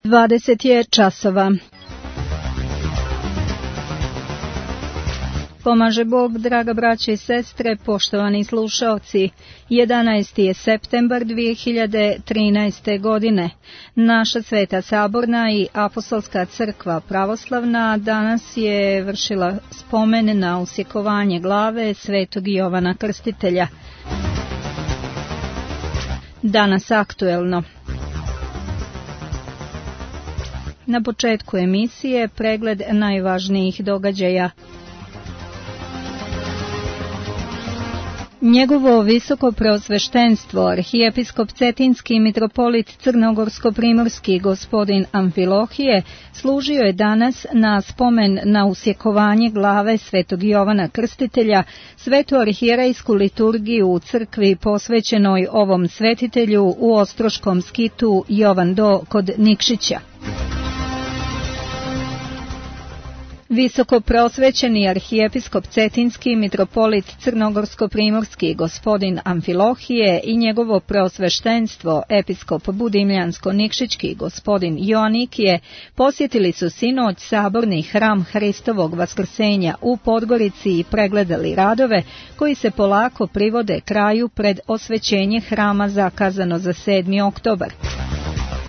20 je časova. Pomaže Bog, draga braće i sestre, poštovani slušaoci. 11. je septembar 2013. godine. Naša Sveta Saborna i Apostolska crkva pravoslavna danas je vršila spomen na usjekovanje glave svetog Jovana Krstitelja. Danas aktuelno. Na početku emisije pregled najvažnijih događaja. Njegovo visoko preosveštenstvo, arhijepiskop Cetinski mitropolit Crnogorsko-primorski gospodin Amfilohije, služio je danas na spomen na usjekovanje glave svetog Jovana Krstitelja, svetu arhijerejsku liturgiju u crkvi posvećenoj ovom svetitelju u Ostroškom skitu Jovan Do kod Nikšića. Visoko preosvećeni arhijepiskop Cetinski mitropolit Crnogorsko-primorski gospodin Amfilohije i njegovo preosveštenstvo episkop Budimljansko-nikšićki gospodin Joanikije posjetili su sinoć saborni hram Hristovog vaskrsenja u Podgorici i pregledali radove koji se polako privode kraju pred osvećenje hrama zakazano za 7. oktobar.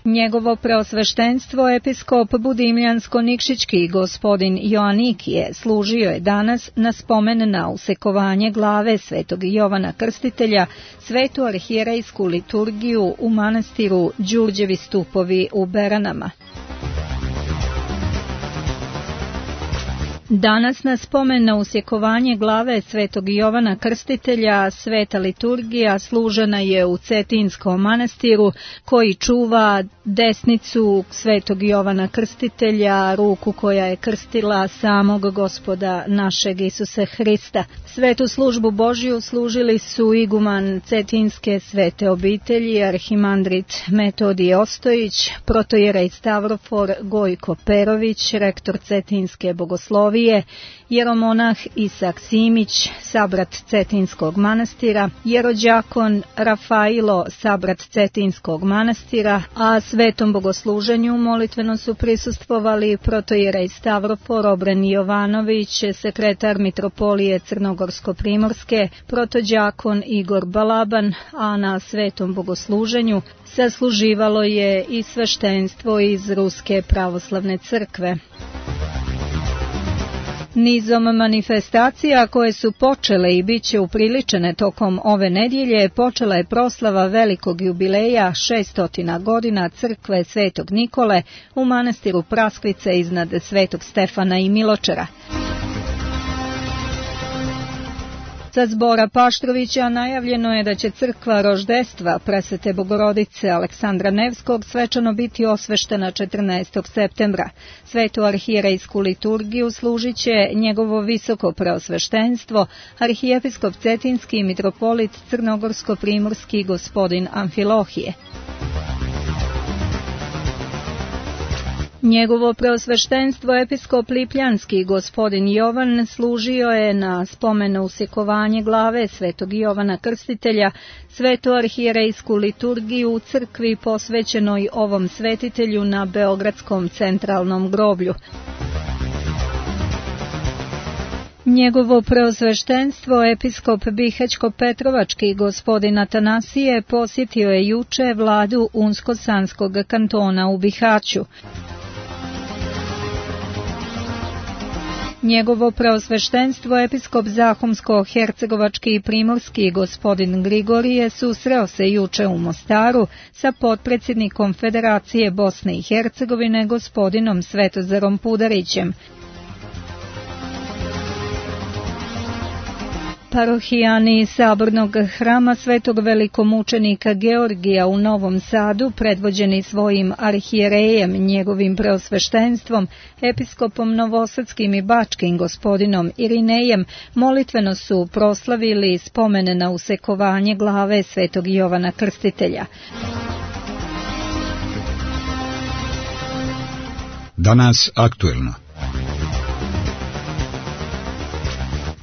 Njegovo preosveštenstvo episkop Budimljansko-nikšićki gospodin Joanikije služio je danas na spomen na usekovanje glave svetog Jovana Krstitelja, svetu arhijerejsku liturgiju u manastiru Đurđevi stupovi u Beranama. Danas na spomen na usjekovanje glave svetog Jovana Krstitelja sveta liturgija služena je u Cetinskom manastiru koji čuva desnicu svetog Jovana Krstitelja, ruku koja je krstila samog Gospoda našeg Isusa Hrista. Svetu službu Božju služili su iguman Cetinske svete obitelji, arhimandrit Metodije Ostojić, protojerej Stavrofor Gojko Perović, rektor Cetinske bogoslovije, jeromonah Isak Simić, sabrat Cetinskog manastira, jerođakon Rafailo, sabrat Cetinskog manastira, a svetom bogosluženju molitveno su prisustvovali protojerej Stavrofor Obren Jovanović, sekretar mitropolije Crnogorsko-primorske, protođakon Igor Balaban, a na svetom bogosluženju sasluživalo je i sveštenstvo iz Ruske pravoslavne crkve. Nizom manifestacija koje su počele i bit će upriličene tokom ove nedjelje, počela je proslava velikog jubileja 600 godina crkve Svetog Nikole u manastiru Praskvice iznad Svetog Stefana i Miločara. Sa zbora Paštrovića najavljeno je da će crkva roždestva Presvete Bogorodice Aleksandra Nevskog svečano biti osveštena 14. septembra. Svetu arhijerejsku liturgiju služit će njegovo visoko preosveštenstvo, arhijepiskop Cetinski mitropolit Crnogorsko-primorski gospodin Amfilohije. Njegovo preosveštenstvo episkop Lipljanski gospodin Jovan služio je na spomenu usjekovanje glave svetog Jovana Krstitelja, svetu arhijerejsku liturgiju u crkvi posvećenoj ovom svetitelju na Beogradskom centralnom groblju. Njegovo preosveštenstvo episkop Bihać-Petrovački gospodin Atanasije posjetio je juče vladu Unsko-Sanskog kantona u Bihaću. Njegovo preosveštenstvo episkop Zahumsko-Hercegovački i Primorski gospodin Grigorije susreo se juče u Mostaru sa potpredsjednikom Federacije Bosne i Hercegovine gospodinom Svetozarom Pudarićem. Parohijani sabornog hrama svetog velikomučenika Georgija u Novom Sadu, predvođeni svojim arhijerejem, njegovim preosveštenstvom, episkopom Novosadskim i Bačkim gospodinom Irinejem, molitveno su proslavili spomene na usekovanje glave svetog Jovana Krstitelja. Danas aktuelno.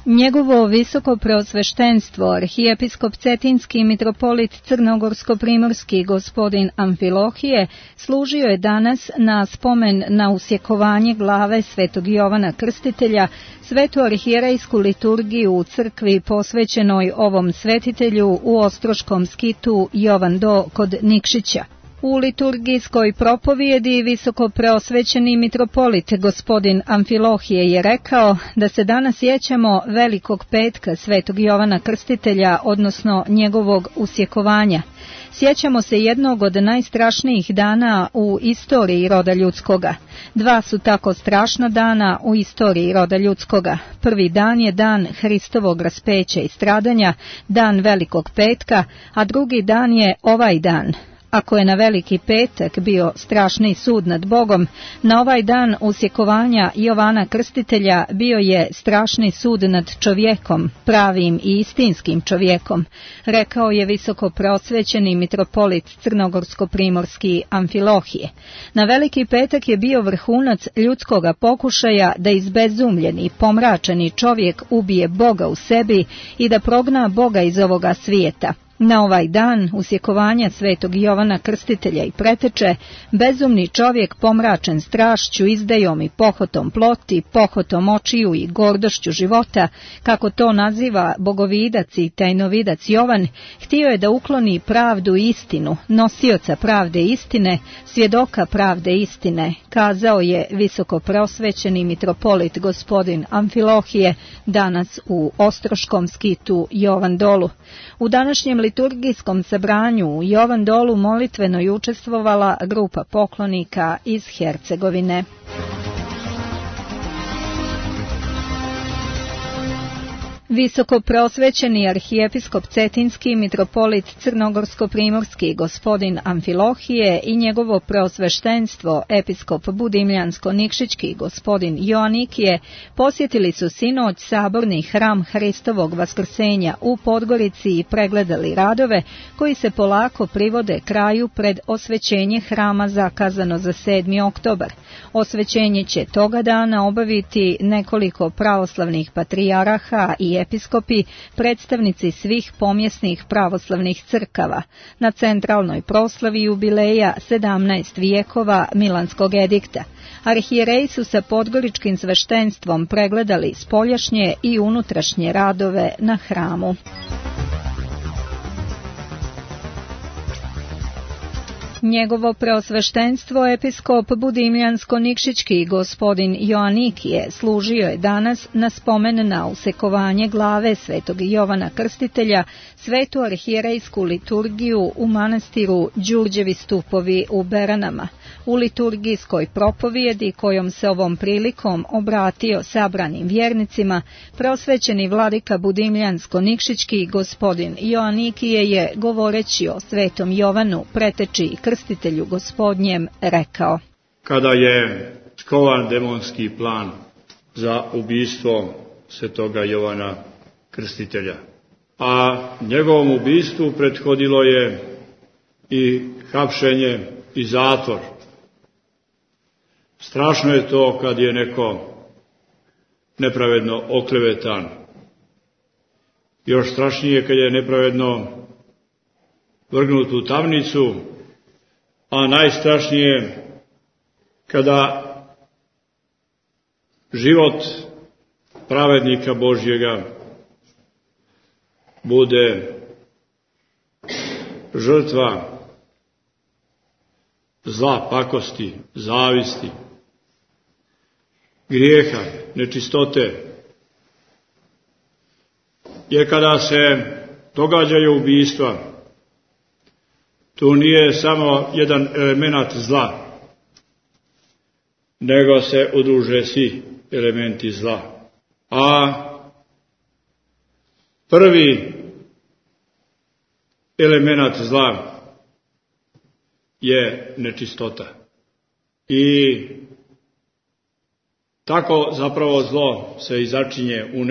Njegovo visoko preosveštenstvo, arhijepiskop Cetinski mitropolit Crnogorsko-primorski gospodin Amfilohije, služio je danas na spomen na usjekovanje glave svetog Jovana Krstitelja, svetu arhijerejsku liturgiju u crkvi posvećenoj ovom svetitelju u Ostroškom skitu Jovan Do kod Nikšića. U liturgijskoj propovijedi visoko preosvećeni mitropolit gospodin Amfilohije je rekao da se danas sjećamo Velikog petka svetog Jovana Krstitelja, odnosno njegovog usjekovanja. Sjećamo se jednog od najstrašnijih dana u istoriji roda ljudskoga. Dva su tako strašna dana u istoriji roda ljudskoga. Prvi dan je dan Hristovog raspeća i stradanja, dan Velikog petka, a drugi dan je ovaj dan. Ako je na Veliki petak bio strašni sud nad Bogom, na ovaj dan usjekovanja Jovana Krstitelja bio je strašni sud nad čovjekom, pravim i istinskim čovjekom, rekao je visoko preosvećeni mitropolit Crnogorsko-primorski Amfilohije. Na Veliki petak je bio vrhunac ljudskoga pokušaja da izbezumljeni, pomračeni čovjek ubije Boga u sebi i da progna Boga iz ovoga svijeta. Na ovaj dan usjekovanja svetog Jovana Krstitelja i preteče, bezumni čovjek pomračen strašću, izdajom i pohotom ploti, pohotom očiju i gordošću života, kako to naziva bogovidac i tajnovidac Jovan, htio je da ukloni pravdu i istinu, nosioca pravde i istine, svjedoka pravde i istine, kazao je visoko preosvećeni mitropolit gospodin Amfilohije danas u Ostroškom skitu Jovan Dolu. U današnjem liturgijskom sabranju u Jovan Dolu molitveno je učestvovala grupa poklonika iz Hercegovine. Visoko preosvećeni arhijepiskop Cetinski mitropolit Crnogorsko-primorski gospodin Amfilohije i njegovo preosveštenstvo episkop Budimljansko-Nikšićki gospodin Joanikije posjetili su sinoć saborni hram Hristovog vaskrsenja u Podgorici i pregledali radove koji se polako privode kraju pred osvećenje hrama zakazano za 7. oktobar. Osvećenje će toga dana obaviti nekoliko pravoslavnih patrijaraha i episkopi, predstavnici svih pomjesnih pravoslavnih crkava, na centralnoj proslavi jubileja 17 vijekova Milanskog edikta. Arhijereji su sa podgoričkim sveštenstvom pregledali spoljašnje i unutrašnje radove na hramu. Njegovo preosveštenstvo episkop Budimljansko-Nikšićki gospodin Joanikije služio je danas na spomen na usekovanje glave svetog Jovana Krstitelja, svetu arhijerejsku liturgiju u manastiru Đurđevi stupovi u Beranama. U liturgijskoj propovijedi kojom se ovom prilikom obratio sabranim vjernicima, preosvećeni vladika Budimljansko-Nikšićki gospodin Joanikije je, govoreći o svetom Jovanu, preteči i krstitelju gospodnjem, rekao: Kada je skovan demonski plan za ubistvo svetoga Jovana Krstitelja, a njegovom ubistvu prethodilo je i hapšenje i zatvor. Strašno je to kad je neko nepravedno oklevetan. Još strašnije kad je nepravedno vrgnut u tamnicu, a najstrašnije kada život pravednika Božjega bude žrtva zla, pakosti, zavisti, grijeha, nečistote. Jer kada se događaju ubistva, tu nije samo jedan element zla, nego se udruže svi elementi zla. A prvi element zla je nečistota. I tako zapravo zlo se i začinje u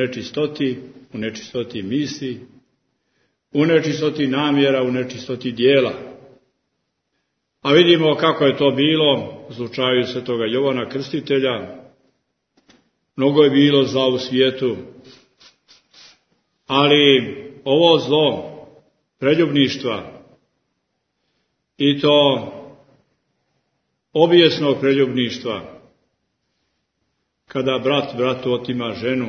nečistoti misli, u nečistoti namjera, u nečistoti dijela. A vidimo kako je to bilo u slučaju svetoga Jovana Krstitelja. Mnogo je bilo zla u svijetu, Ali ovo zlo preljubništva, i to obijesnog preljubništva, kada brat bratu otima ženu,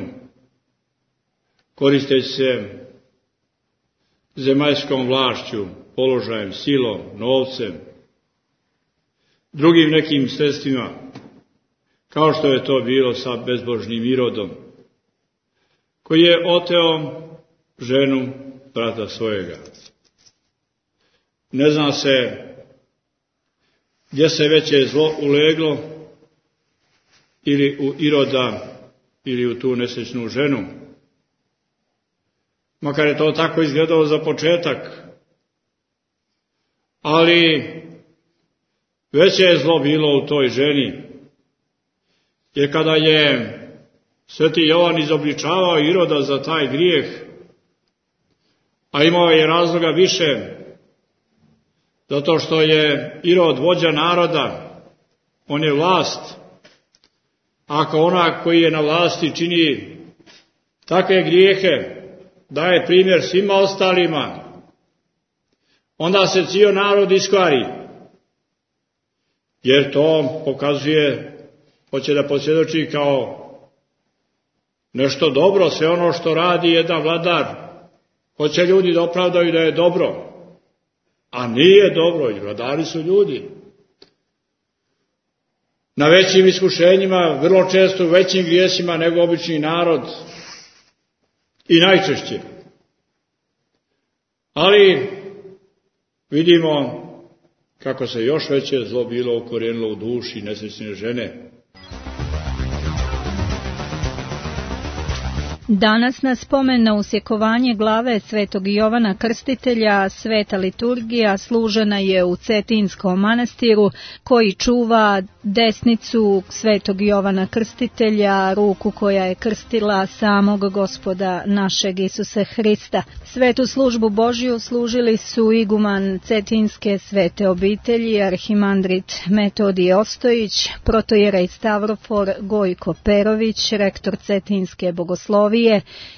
koristeći se zemaljskom vlašću, položajem, silom, novcem, drugim nekim sredstvima, kao što je to bilo sa bezbožnim Irodom, koji je oteo ženu brata svojega. Ne zna se gdje se veće zlo uleglo, ili u Iroda, ili u tu nesrećnu ženu. Makar je to tako izgledalo za početak, ali veće je zlo bilo u toj ženi, jer kada je Sveti Jovan izobličavao Iroda za taj grijeh, a imao je razloga više, zato što je Irod vođa naroda, on je vlast. Ako onak koji je na vlasti čini takve grijehe, daje primjer svima ostalima, onda se cijel narod iskvari, jer to pokazuje, hoće da posvjedoči kao nešto dobro, sve ono što radi jedan vladar, hoće ljudi da opravdaju da je dobro, a nije dobro, i vladari su ljudi. Na većim iskušenjima, vrlo često u većim grijesima nego obični narod, i najčešće. Ali vidimo kako se još veće zlo bilo ukorijenilo u duši nesrećne žene. Danas na spomen na usjekovanje glave svetog Jovana Krstitelja sveta liturgija služena je u Cetinskom manastiru, koji čuva desnicu svetog Jovana Krstitelja, ruku koja je krstila samog Gospoda našeg Isusa Hrista. Svetu službu Božju služili su iguman Cetinske svete obitelji, arhimandrit Metodije Ostojić, protojerej Stavrofor Gojko Perović, rektor Cetinske bogoslovije,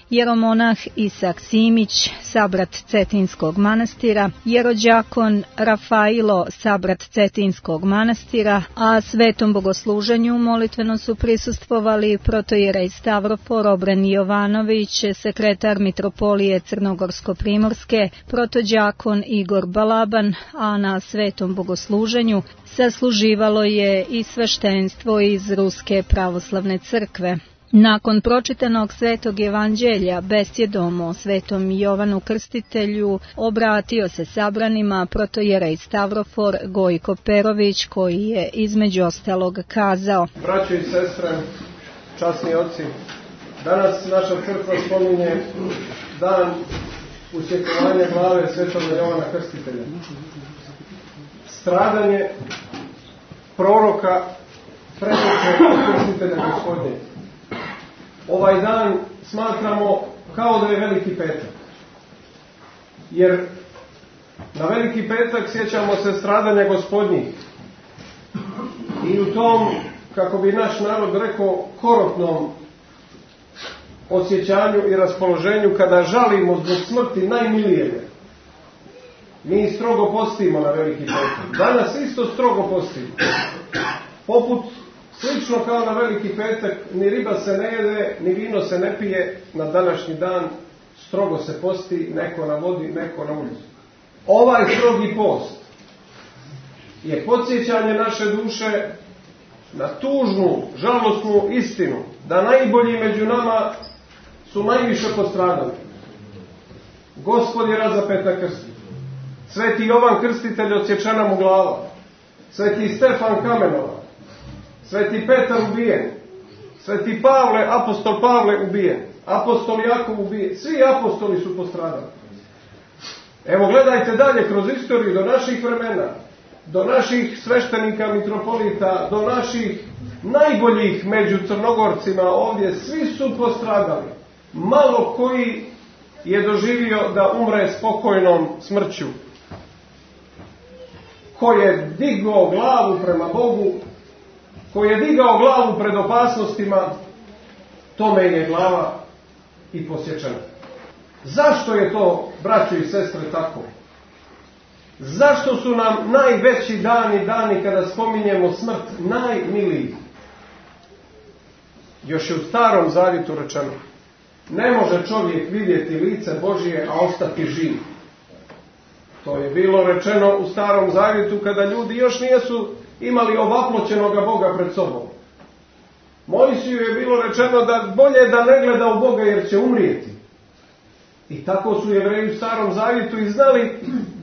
jeromonah Isak Simić, sabrat Cetinskog manastira, jerođakon Rafailo, sabrat Cetinskog manastira, a svetom bogosluženju molitveno su prisustvovali protojerej Stavrofor Obren Jovanović, sekretar mitropolije Crnogorsko-primorske, protođakon Igor Balaban, a na svetom bogosluženju sasluživalo je i sveštenstvo iz Ruske pravoslavne crkve. Nakon pročitanog svetog evanđelja besjedom o svetom Jovanu Krstitelju obratio se sabranima protojerej Stavrofor Gojko Perović, koji je između ostalog kazao: Braćo i sestre, časni oci, danas naša crkva spominje dan usjekovanja glave svetog Jovana Krstitelja. Stradanje proroka, predoče Krstitelja Gospodnje. Ovaj dan smatramo kao da je Veliki petak. Jer na Veliki petak sjećamo se stradanja Gospodnjih. I u tom, kako bi naš narod rekao, korotnom osjećanju i raspoloženju, kada žalimo zbog smrti najmilijega, mi strogo postimo na Veliki petak. Danas isto strogo postimo. Poput slično kao na Veliki petak, ni riba se ne jede, ni vino se ne pije na današnji dan, strogo se posti, neko na vodi, neko na ulicu. Ovaj strogi post je podsjećanje naše duše na tužnu, žalosnu istinu, da najbolji među nama su najviše postradali. Gospod je razapet na krstu. Sveti Jovan Krstitelj odsječena mu glava. Sveti Stefan kamenovan. Sveti Petar ubijen, sveti Pavle, apostol Pavle ubijen, apostol Jakov ubijen, svi apostoli su postradali. Evo gledajte dalje kroz istoriju do naših vremena, do naših sveštenika, mitropolita, do naših najboljih među Crnogorcima ovdje, svi su postradali. Malo koji je doživio da umre spokojnom smrću. Ko je digao glavu prema Bogu, ko je digao glavu pred opasnostima, tome je glava i posječena. Zašto je to, braćo i sestre, tako? Zašto su nam najveći dani kada spominjemo smrt najmiliji? Još je u Starom Zavjetu rečeno: ne može čovjek vidjeti lice Božije, a ostati živ. To je bilo rečeno u Starom Zavjetu kada ljudi još nisu imali ovaploćenoga Boga pred sobom. Mojsiju je bilo rečeno da bolje da ne gleda u Boga jer će umrijeti. I tako su Jevreji u Starom Zavjetu i znali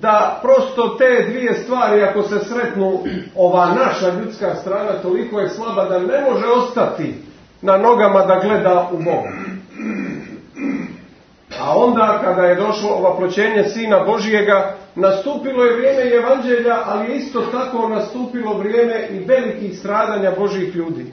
da prosto te dvije stvari, ako se sretnu, ova naša ljudska strana toliko je slaba da ne može ostati na nogama da gleda u Boga. A onda kada je došlo ovaploćenje Sina Božijega, nastupilo je vrijeme evanđelja, ali je isto tako nastupilo vrijeme i velikih stradanja Božjih ljudi.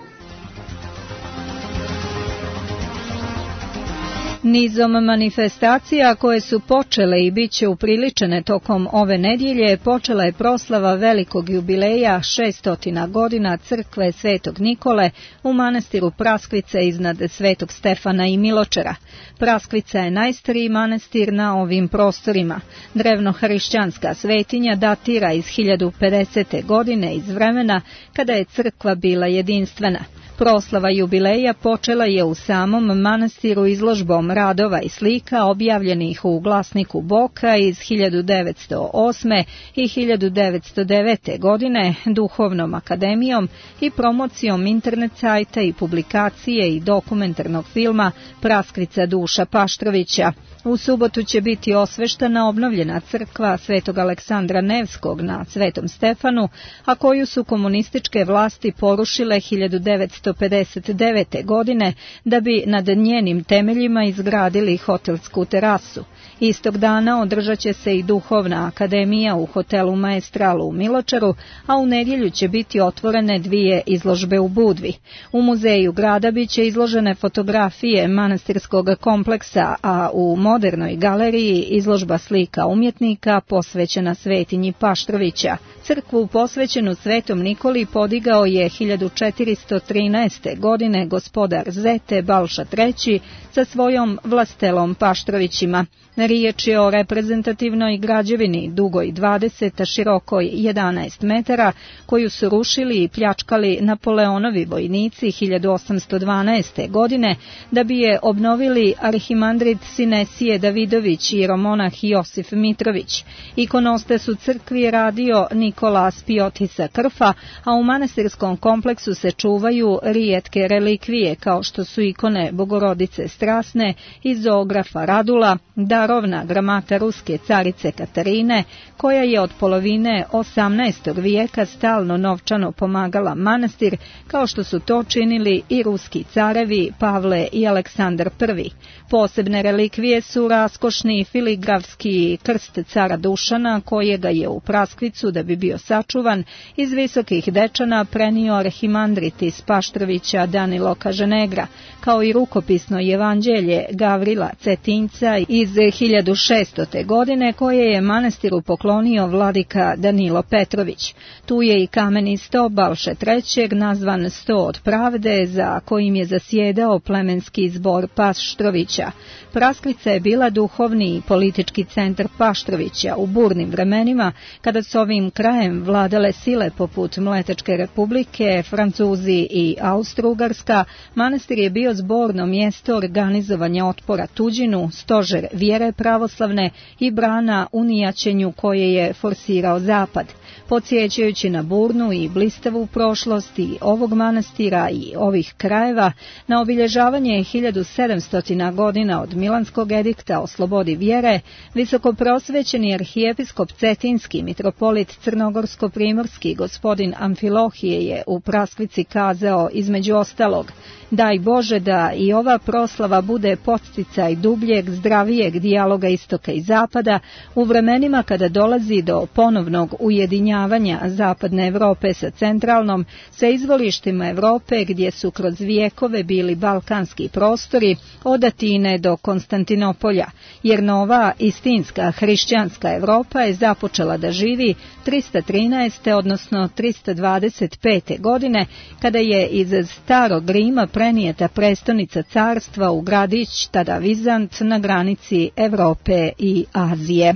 Nizom manifestacija koje su počele i bit će upriličene tokom ove nedjelje, počela je proslava velikog jubileja 600 godina crkve Svetog Nikole u manastiru Praskvice iznad Svetog Stefana i Miločara. Praskvica je najstariji manastir na ovim prostorima. Drevnohrišćanska svetinja datira iz 1050. godine, iz vremena kada je crkva bila jedinstvena. Proslava jubileja počela je u samom manastiru izložbom radova i slika objavljenih u glasniku Boka iz 1908. i 1909. godine, duhovnom akademijom i promocijom internet sajta i publikacije i dokumentarnog filma Praskvica Duša Paštrovića. U subotu će biti osveštana obnovljena crkva Svetog Aleksandra Nevskog na Svetom Stefanu, a koju su komunističke vlasti porušile 1959. godine da bi nad njenim temeljima izgradili hotelsku terasu. Istog dana održat će se i duhovna akademija u hotelu Maestralu u Miločaru, a u nedjelju će biti otvorene dvije izložbe u Budvi. U muzeju grada bit će izložene fotografije manastirskog kompleksa, a u modernoj galeriji izložba slika umjetnika posvećena svetinji Paštrovića. Crkvu posvećenu Svetom Nikoli podigao je 1413. godine gospodar Zete Balša III sa svojom vlastelom Paštrovićima. Riječ je o reprezentativnoj građevini dugoj 20, a širokoj 11 metara, koju su rušili i pljačkali Napoleonovi vojnici 1812. godine, da bi je obnovili arhimandrit Sinesije Davidović i jeromonah Josif Mitrović. Ikonostas u crkvi radio Nikola Spiotisa Krfa, a u manastirskom kompleksu se čuvaju rijetke relikvije, kao što su ikone Bogorodice Strasne i zoografa Radula, darovna gramata ruske carice Katarine, koja je od polovine 18. vijeka stalno novčano pomagala manastir, kao što su to činili i ruski carevi Pavle i Aleksandar I. Posebne relikvije su raskošni filigrafski krst cara Dušana, kojega je u Praskvicu, da bi bio sačuvan, iz Visokih Dečana prenio arhimandrit iz Paštrovića Danilo Kaženegra, kao i rukopisno evanđelje Gavrila Cetinjca iz 1600. godine, koje je manastiru poklonio vladika Danilo Petrović. Tu je i kameni sto Balše III, nazvan Sto od pravde, za kojim je zasjedao plemenski zbor Paštrovića. Praskvica je bila duhovni i politički centar Paštrovića u burnim vremenima, kada s ovim krajem vladale sile poput Mletačke republike, Francuzi i Austro-Ugarska. Manastir je bio zborno mjesto organizovanja otpora tuđinu, stožer vjere pravoslavne i brana unijaćenju koje je forsirao Zapad. Podsjećajući na burnu i blistavu prošlost i ovog manastira i ovih krajeva, na obilježavanje 1700 godina od Milanskog edikta o slobodi vjere, visokoprosvećeni arhijepiskop Cetinski mitropolit Crnogorsko-primorski gospodin Amfilohije je u Praskvici kazao između ostalog: daj Bože da i ova proslava bude podsticaj dubljeg, zdravijeg dijaloga istoka i zapada u vremenima kada dolazi do ponovnog ujedinjavanja zapadne Europe sa centralnom, sa izvorištima Europe gdje su kroz vijekove bili balkanski prostori od Atine do Konstantinopolja, jer nova istinska hrišćanska Europa je započela da živi 313. odnosno 325. godine, kada je iz starog Rima prenijeta prestonica carstva u gradić, tada Vizant, na granici Evrope i Azije.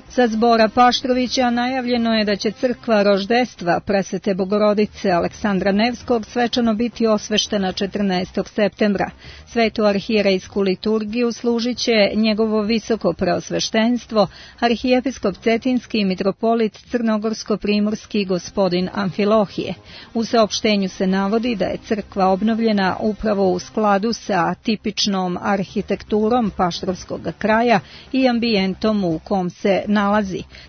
Sa zbora Paštrovića najavljeno je da će crkva roždestva Presvete Bogorodice Aleksandra Nevskog svečano biti osveštena 14. septembra. Svetu arhijerejsku liturgiju služit će njegovo visoko preosveštenstvo, arhijepiskop Cetinski i mitropolit Crnogorsko-primorski gospodin Amfilohije. U saopštenju se navodi da je crkva obnovljena upravo u skladu sa tipičnom arhitekturom paštrovskog kraja i ambijentom u kom se nalazi.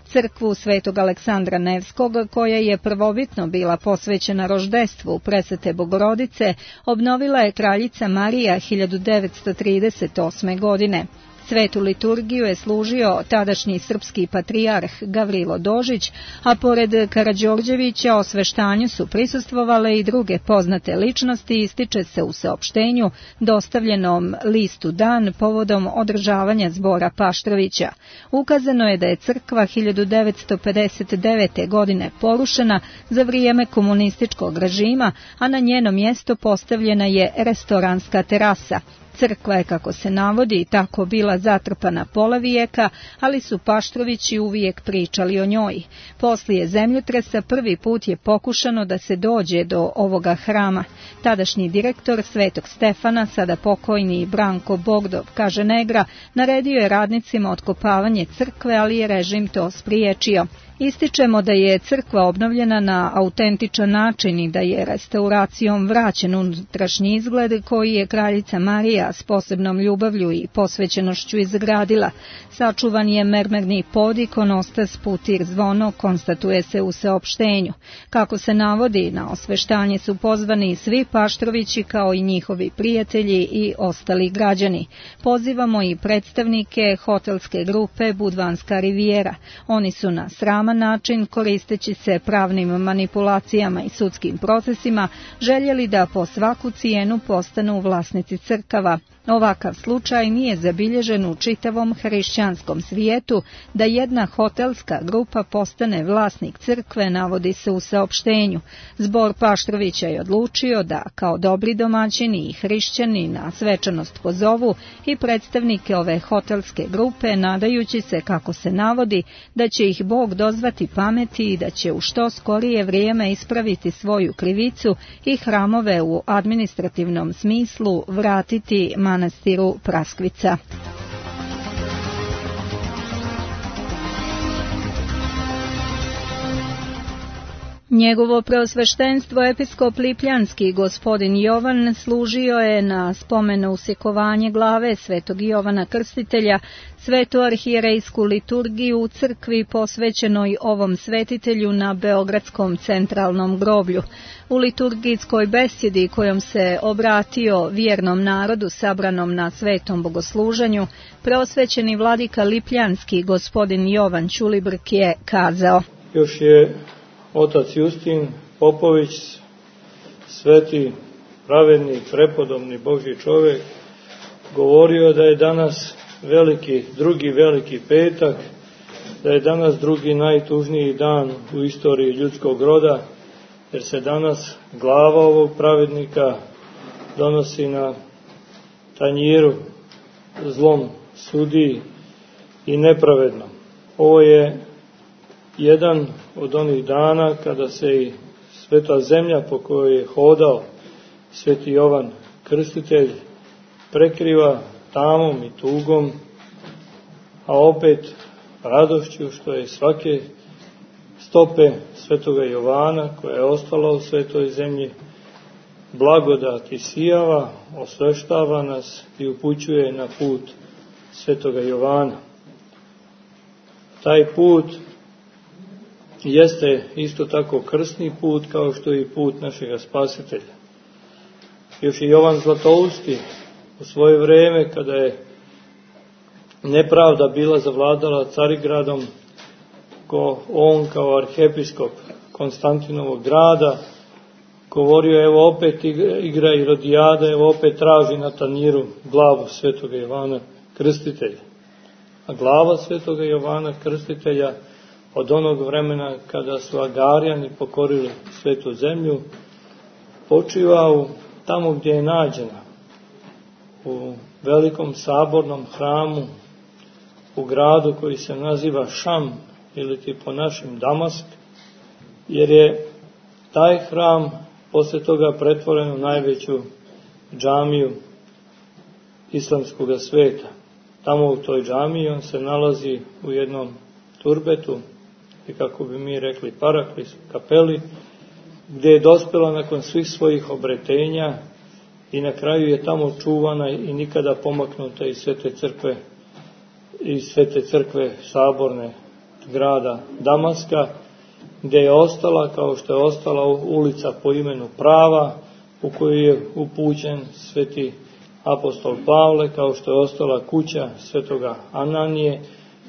Crkvu Svetog Aleksandra Nevskog, koja je prvobitno bila posvećena roždestvu Presvete Bogorodice, obnovila je kraljica Marija 1938. godine. Svetu liturgiju je služio tadašnji srpski patrijarh Gavrilo Dožić, a pored Karađorđevića osveštanju su prisustvovale i druge poznate ličnosti, ističe se u saopštenju dostavljenom listu Dan povodom održavanja zbora Paštrovića. Ukazano je da je crkva 1959. godine porušena za vrijeme komunističkog režima, a na njeno mjesto postavljena je restoranska terasa. Crkva je, kako se navodi, tako bila zatrpana pola vijeka, ali su Paštrovići uvijek pričali o njoj. Poslije zemljotresa prvi put je pokušano da se dođe do ovoga hrama. Tadašnji direktor Svetog Stefana, sada pokojni Branko Bogdov, kaže Negra, naredio je radnicima otkopavanje crkve, ali je režim to spriječio. Ističemo da je crkva obnovljena na autentičan način i da je restauracijom vraćen unutrašnji izgled koji je kraljica Marija s posebnom ljubavlju i posvećenošću izgradila. Sačuvan je mermerni pod, ikonostas, putir, zvono, konstatuje se u saopštenju. Kako se navodi, na osveštanje su pozvani svi Paštrovići kao i njihovi prijatelji i ostali građani. Pozivamo i predstavnike hotelske grupe Budvanska Rivijera. Oni su na sraman način, koristeći se pravnim manipulacijama i sudskim procesima, željeli da po svaku cijenu postanu vlasnici crkava. Ovakav slučaj nije zabilježen u čitavom hrišćanskom svijetu, da jedna hotelska grupa postane vlasnik crkve, navodi se u saopštenju. Zbor Paštrovića je odlučio da, kao dobri domaćini i hrišćani, na svečanost pozovu i predstavnike ove hotelske grupe, nadajući se, kako se navodi, da će ih Bog dozvati pameti i da će u što skorije vrijeme ispraviti svoju krivicu i hramove u administrativnom smislu vratiti manastiru Praskvica. Njegovo preosveštenstvo episkop Lipljanski gospodin Jovan služio je na spomen usjekovanje glave Svetog Jovana Krstitelja, svetu arhijerejsku liturgiju u crkvi posvećenoj ovom svetitelju na Beogradskom centralnom groblju. U liturgijskoj besjedi kojom se obratio vjernom narodu sabranom na svetom bogosluženju, preosvećeni vladika Lipljanski gospodin Jovan Ćulibrk je kazao: Još je otac Justin Popović, sveti, pravedni, prepodobni Božji čovjek, govorio da je danas drugi veliki petak, da je danas drugi najtužniji dan u istoriji ljudskog roda, jer se danas glava ovog pravednika donosi na tanjiru zlom sudiji i nepravedno. Ovo je jedan od onih dana kada se i sveta zemlja po kojoj je hodao sveti Jovan Krstitelj prekriva tamom i tugom, a opet radošću što je svake stope svetoga Jovana koja je ostala u svetoj zemlji blagodat isijava, osveštava nas i upućuje na put svetoga Jovana. Taj put jeste isto tako krsni put kao što je i put našega Spasitelja. Još i Jovan Zlatousti u svoje vrijeme, kada je nepravda bila zavladala Carigradom, on kao arhijepiskop Konstantinovog grada govorio: evo opet igra i rodijada, evo opet traži na tanjiru glavu svetoga Jovana Krstitelja. A glava svetoga Jovana Krstitelja od onog vremena kada su Agarijani pokorili svetu zemlju, počivao tamo gdje je nađena, u velikom sabornom hramu, u gradu koji se naziva Šam, ili ti po našim Damask, jer je taj hram posle toga pretvoren u najveću džamiju islamskog sveta. Tamo u toj džamiji on se nalazi u jednom turbetu, i kako bi mi rekli paraklis, kapeli, gdje je dospela nakon svih svojih obretenja i na kraju je tamo čuvana i nikada pomaknuta iz svete crkve saborne grada Damaska, gdje je ostala kao što je ostala ulica po imenu Prava, u koju je upućen sveti apostol Pavle, kao što je ostala kuća svetoga Ananije,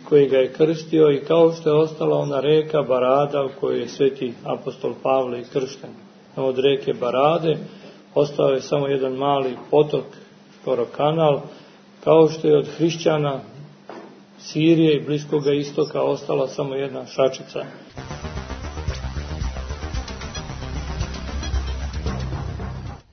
koji ga je krstio, i kao što je ostala ona reka Barada u kojoj je sveti apostol Pavle i kršten. Od reke Barade ostao je samo jedan mali potok, skoro kanal, kao što je od hrišćana Sirije i Bliskoga istoka ostala samo jedna šačica.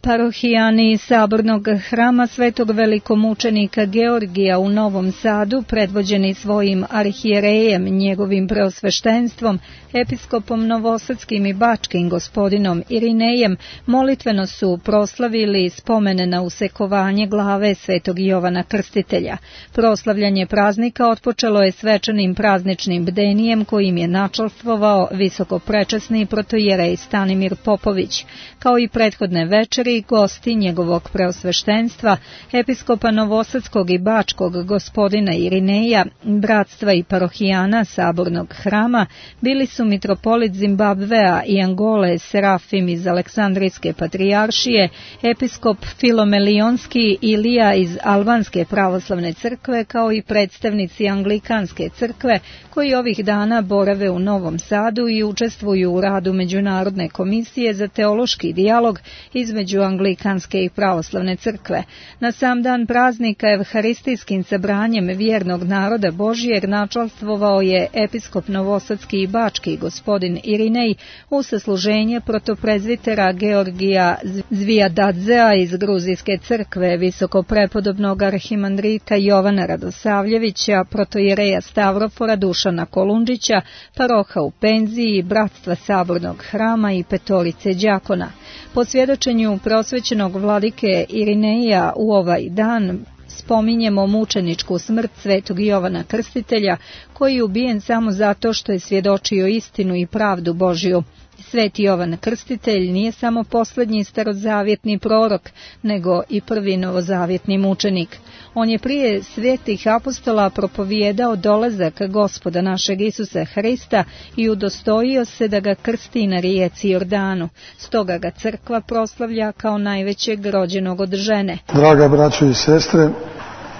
Parohijani sabornog hrama Svetog velikomučenika Georgija u Novom Sadu, predvođeni svojim arhijerejem, njegovim preosveštenstvom, episkopom novosadskim i bačkim gospodinom Irinejem, molitveno su proslavili spomene na usekovanje glave Svetog Jovana Krstitelja. Proslavljanje praznika otpočelo je svečanim prazničnim bdenijem kojim je načalstvovao visokoprečasni protojerej Stanimir Popović. Kao i prethodne večeri, gosti njegovog preosveštenstva, episkopa novosadskog i bačkog gospodina Irineja, bratstva i parohijana sabornog hrama, bili su mitropolit Zimbabvea i Angole Serafim iz Aleksandrijske patrijaršije, episkop Filomelionski Ilija iz Albanske pravoslavne crkve, kao i predstavnici Anglikanske crkve, koji ovih dana borave u Novom Sadu i učestvuju u radu Međunarodne komisije za teološki dijalog između Anglikanske i pravoslavne crkve. Na sam dan praznika evharistijskim sabranjem vjernog naroda Božijeg načalstvovao je episkop novosadski i bački gospodin Irinej u sasluženje protoprezvitera Georgija Zvijadadzea iz Gruzijske crkve, visokoprepodobnog arhimandrita Jovana Radosavljevića, protojereja Stavrofora Dušana Kolundžića, paroha u penziji, bratstva sabornog hrama i petorice đakona. Po svjedočenju prosvećenog vladike Irineja u ovaj dan spominjemo mučeničku smrt Svetog Jovana Krstitelja, koji je ubijen samo zato što je svjedočio istinu i pravdu Božju. Sveti Jovan Krstitelj nije samo posljednji starozavjetni prorok, nego i prvi novozavjetni mučenik. On je prije svetih apostola propovijedao dolazak Gospoda našeg Isusa Hrista i udostojio se da ga krsti na rijeci Jordanu. Stoga ga crkva proslavlja kao najvećeg rođenog od žene. Draga braćo i sestre,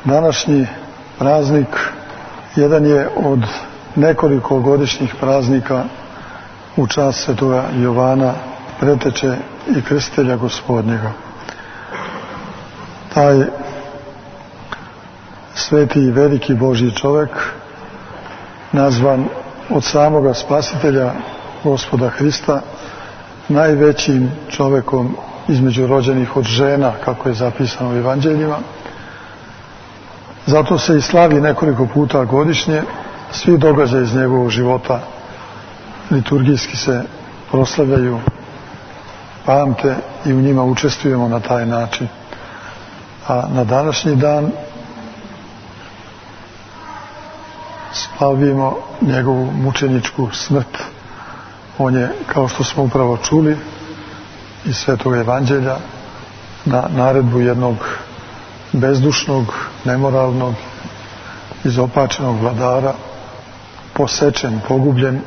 današnji praznik jedan je od nekoliko godišnjih praznika u čast svetoga Jovana, preteče i krstitelja Gospodnjega. Taj sveti i veliki Božji čovjek, nazvan od samoga Spasitelja Gospoda Hrista najvećim čovjekom između rođenih od žena, kako je zapisano u evanđeljima. Zato se i slavi nekoliko puta godišnje. Svi događaji iz njegovog života liturgijski se proslavljaju, pamte i u njima učestvujemo na taj način. A na današnji dan slavimo njegovu mučeničku smrt. On je, kao što smo upravo čuli iz Svetog evanđelja, na naredbu jednog bezdušnog, nemoralnog, izopačenog vladara posečen, pogubljen,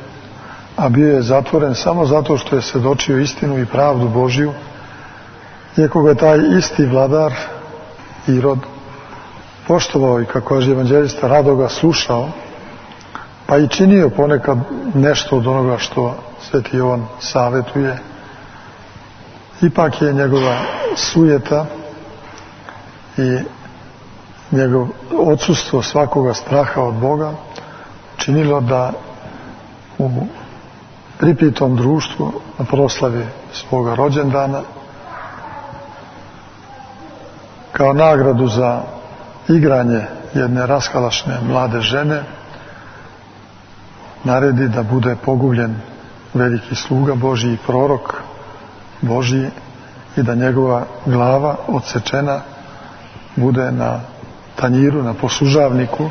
a bio je zatvoren samo zato što je svjedočio istinu i pravdu Božju, iako ga je taj isti vladar Irod poštovao i, kako kaže evanđelista, rado ga slušao, pa i činio ponekad nešto od onoga što sveti Jovan savjetuje. Ipak je njegova sujeta i njegov odsustvo svakoga straha od Boga činilo da u pripitom društvu na proslavi svoga rođendana, kao nagradu za igranje jedne raskalašne mlade žene, naredi da bude pogubljen veliki sluga Božji i prorok Božji i da njegova glava odsečena bude na tanjiru, na poslužavniku,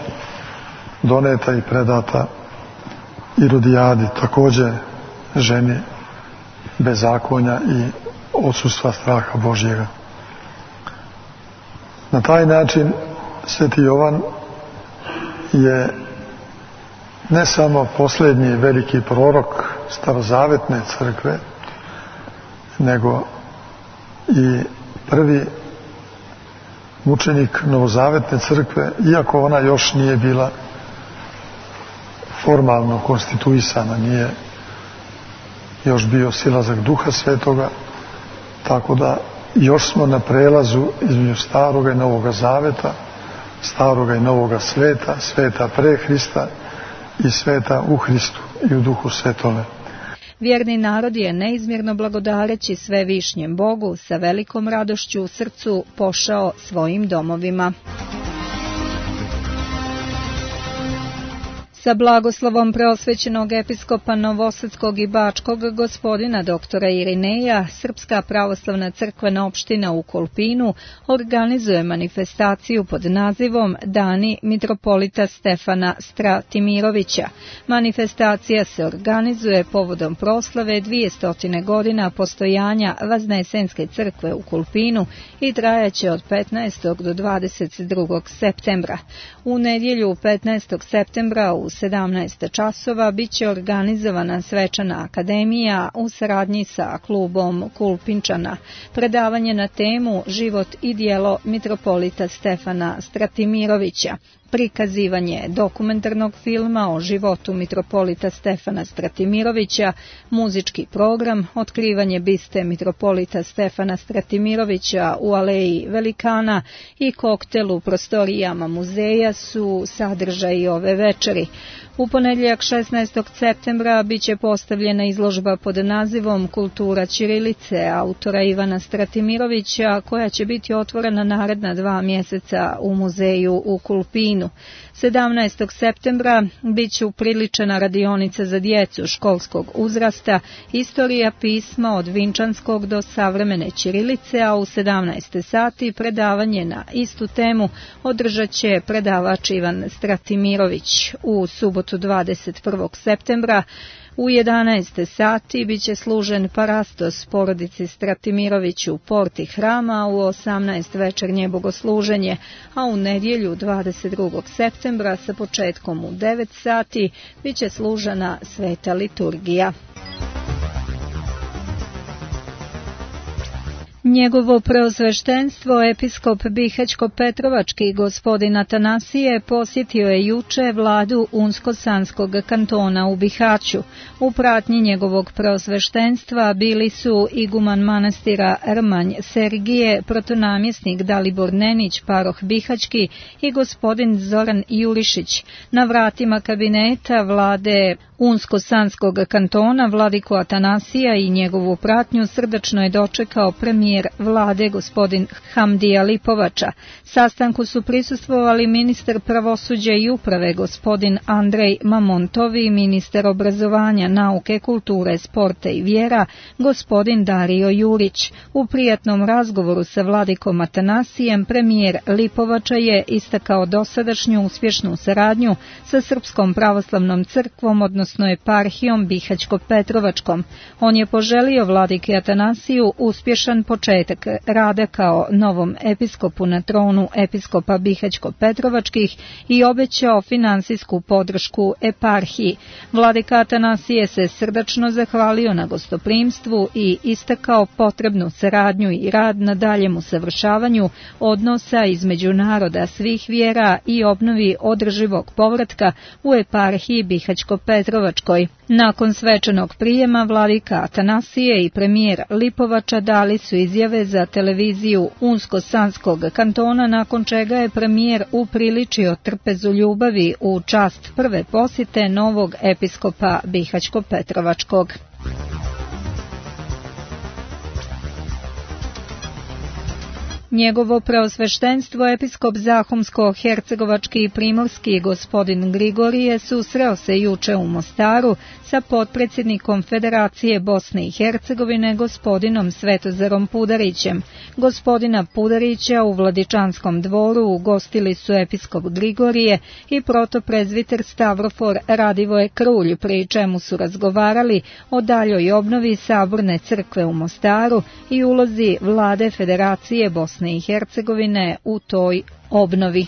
doneta i predata Irodijadi, također ženi bezakonja i odsustva straha Božjega. Na taj način Sveti Jovan je ne samo posljednji veliki prorok starozavetne crkve, nego i prvi mučenik novozavetne crkve, iako ona još nije bila formalno konstituisana, nije još bio silazak Duha Svetoga, tako da još smo na prelazu između staroga i novoga zaveta, staroga i novoga sveta, sveta pre Hrista i sveta u Hristu i u Duhu Svetome. Vjerni narod je neizmjerno blagodareći svevišnjem Bogu sa velikom radošću u srcu pošao svojim domovima. Sa blagoslovom preosvećenog episkopa Novosadskog i Bačkog gospodina doktora Irineja, Srpska pravoslavna crkvena opština u Kolpinu organizuje manifestaciju pod nazivom Dani mitropolita Stefana Stratimirovića. Manifestacija se organizuje povodom proslave 200 godina postojanja Vaznesenske crkve u Kolpinu i trajaće od 15. do 22. septembra. U nedjelju 15. septembra u 17 časova biće organizovana svečana akademija u saradnji sa klubom Kulpinčana. Predavanje na temu Život i djelo mitropolita Stefana Stratimirovića. Prikazivanje dokumentarnog filma o životu mitropolita Stefana Stratimirovića, muzički program, otkrivanje biste mitropolita Stefana Stratimirovića u Aleji Velikana i koktel u prostorijama muzeja su sadržaji ove večeri. U ponedjeljak 16. septembra biće postavljena izložba pod nazivom Kultura ćirilice autora Ivana Stratimirovića, koja će biti otvorena naredna 2 mjeseca u muzeju u Kolpinu. 17. septembra biće upriličena radionica za djecu školskog uzrasta, istorija pisma od vinčanskog do savremene ćirilice, a u 17 sati predavanje na istu temu održat će predavač Ivan Stratimirović. U subotu 21. septembra u 11 sati biće služen parastos porodici Stratimirović u porti hrama, u 18 večernje bogosluženje, a u nedjelju 22. septembra sa početkom u 9 sati biće služena sveta liturgija. Njegovo preosveštenstvo, episkop Bihaćko-Petrovački gospodin Atanasije, posjetio je juče vladu Unsko-Sanskog kantona u Bihaću. U pratnji njegovog preosveštenstva bili su iguman manastira Rmanj Sergije, protonamjesnik Dalibor Nenić, paroh Bihaćki i gospodin Zoran Julišić. Na vratima kabineta vlade Unsko-Sanskog kantona vladiku Atanasija i njegovu pratnju srdačno je dočekao premijer vlade gospodin Hamdija Lipovača. Sastanku su prisustvovali ministar pravosuđa i uprave gospodin Andrej Mamontovi, ministar obrazovanja, nauke, kulture, sporta i vjera gospodin Dario Jurić. U prijatnom razgovoru sa vladikom Atanasijem premijer Lipovača je istakao dosadašnju uspješnu saradnju sa Srpskom pravoslavnom crkvom, odnosno eparhijom Bihaćko-Petrovačkom. On je poželio vladiki Atanasiju uspješan početak rada kao novom episkopu na tronu episkopa Bihaćko-Petrovačkih i obećao finansijsku podršku eparhiji. Vladika Atanasije se srdačno zahvalio na gostoprimstvu i istakao potrebnu saradnju i rad na daljem usavršavanju odnosa između naroda svih vjera i obnovi održivog povratka u eparhiji Bihaćko-Petrovačkoj. Petrovačkoj. Nakon svečanog prijema vladika Atanasije i premijer Lipovača dali su izjave za televiziju Unsko-Sanskog kantona, nakon čega je premijer upriličio trpezu ljubavi u čast prve posjete novog episkopa Bihaćko-Petrovačkog. Njegovo preosveštenstvo episkop Zahumsko-Hercegovački i Primorski gospodin Grigorije susreo se juče u Mostaru sa potpredsjednikom Federacije Bosne i Hercegovine gospodinom Svetozarom Pudarićem. Gospodina Pudarića u Vladičanskom dvoru ugostili su episkop Grigorije i protoprezviter Stavrofor Radivoje Krulj, pri čemu su razgovarali o daljoj obnovi Saborne crkve u Mostaru i ulozi vlade Federacije Bosne i Hercegovine u toj obnovi.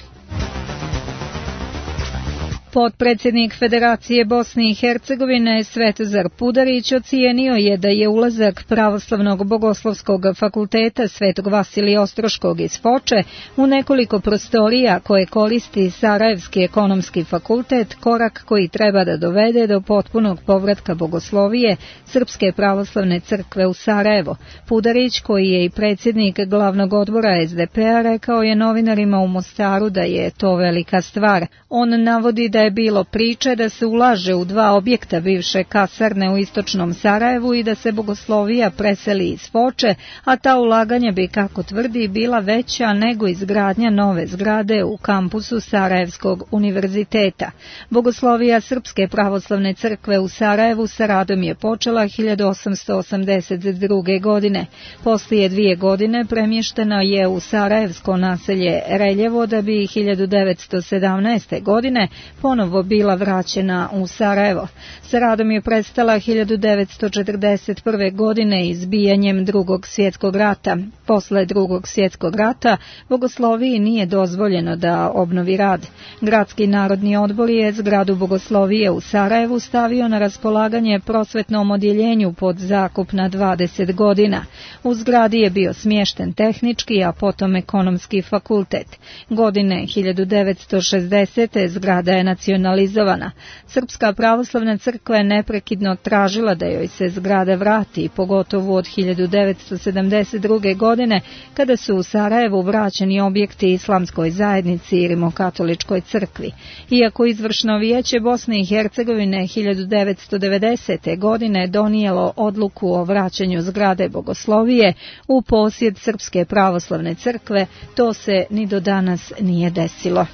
Potpredsjednik Federacije Bosne i Hercegovine Svetozar Pudarić ocijenio je da je ulazak Pravoslavnog bogoslovskog fakulteta Svetog Vasilija Ostroškog iz Foče u nekoliko prostorija koje koristi Sarajevski ekonomski fakultet korak koji treba da dovede do potpunog povratka bogoslovije Srpske pravoslavne crkve u Sarajevo. Pudarić, koji je i predsjednik glavnog odbora SDP-a, rekao je novinarima u Mostaru da je to velika stvar. On navodi da je bilo priče da se ulaže u 2 objekta bivše kasarne u istočnom Sarajevu i da se bogoslovija preseli iz Foče, a ta ulaganja bi, kako tvrdi, bila veća nego izgradnja nove zgrade u kampusu Sarajevskog univerziteta. Bogoslovija Srpske pravoslavne crkve u Sarajevu sa radom je počela 1882. godine. Poslije 2 godine premještena je u sarajevsko naselje Reljevo, da bi 1917. godine ponovo bila vraćena u Sarajevo. Sa radom je prestala 1941. godine izbijanjem Drugog svjetskog rata. Posle Drugog svjetskog rata bogosloviji nije dozvoljeno da obnovi rad. Gradski narodni odbor je zgradu bogoslovije u Sarajevu stavio na raspolaganje prosvetnom odjeljenju pod zakup na 20 godina. U zgradi je bio smješten tehnički, a potom ekonomski fakultet. Godine 1960. zgrada je nacionalizovana. Srpska pravoslavna crkva je neprekidno tražila da joj se zgrada vrati, pogotovo od 1972. godine, kada su u Sarajevu vraćeni objekti islamskoj zajednici i rimokatoličkoj crkvi. Iako izvršno vijeće Bosne i Hercegovine 1990. godine donijelo odluku o vraćanju zgrade bogoslovije u posjed Srpske pravoslavne crkve, to se ni do danas nije desilo.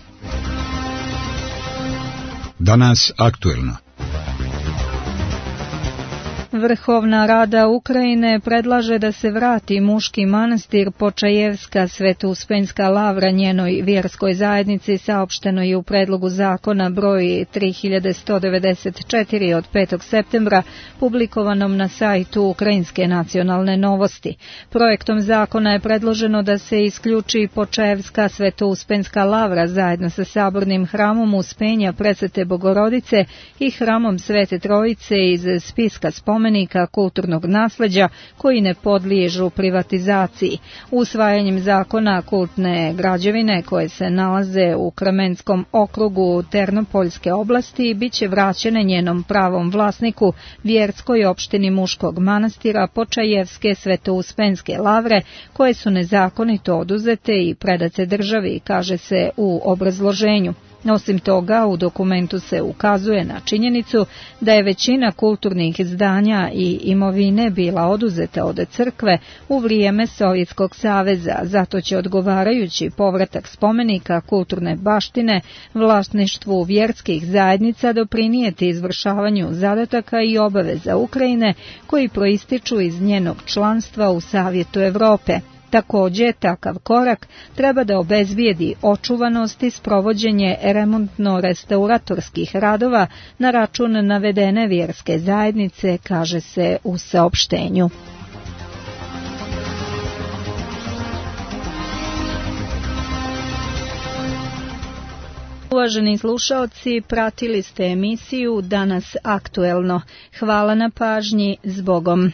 Danas aktuelno. Vrhovna rada Ukrajine predlaže da se vrati muški manastir Počajevska Sveto-Uspenjska lavra njenoj vjerskoj zajednici, saopšteno je u predlogu zakona broj 3194 od 5. septembra, publikovanom na sajtu Ukrajinske nacionalne novosti. Projektom zakona je predloženo da se isključi Počajevska Sveto-Uspenjska lavra zajedno sa sabornim hramom Uspenja Presvete Bogorodice i hramom Svete Trojice iz spiska spomenika kulturnog nasleđa koji ne podliježu privatizaciji. Usvajanjem zakona kultne građevine koje se nalaze u Kramenskom okrugu Ternopoljske oblasti biće vraćene njenom pravom vlasniku, vjerskoj opštini muškog manastira Počajevske Sveto-Uspenjske lavre, koje su nezakonito oduzete i predate državi, kaže se u obrazloženju. Osim toga, u dokumentu se ukazuje na činjenicu da je većina kulturnih zdanja i imovine bila oduzeta od crkve u vrijeme Sovjetskog saveza, zato će odgovarajući povratak spomenika kulturne baštine vlasništvu vjerskih zajednica doprinijeti izvršavanju zadataka i obaveza Ukrajine koji proističu iz njenog članstva u Savjetu Europe. Također, takav korak treba da obezbijedi očuvanost i sprovođenje remontno-restauratorskih radova na račun navedene vjerske zajednice, kaže se u saopštenju. Uvaženi slušaoci, pratili ste emisiju Danas aktuelno. Hvala na pažnji, zbogom.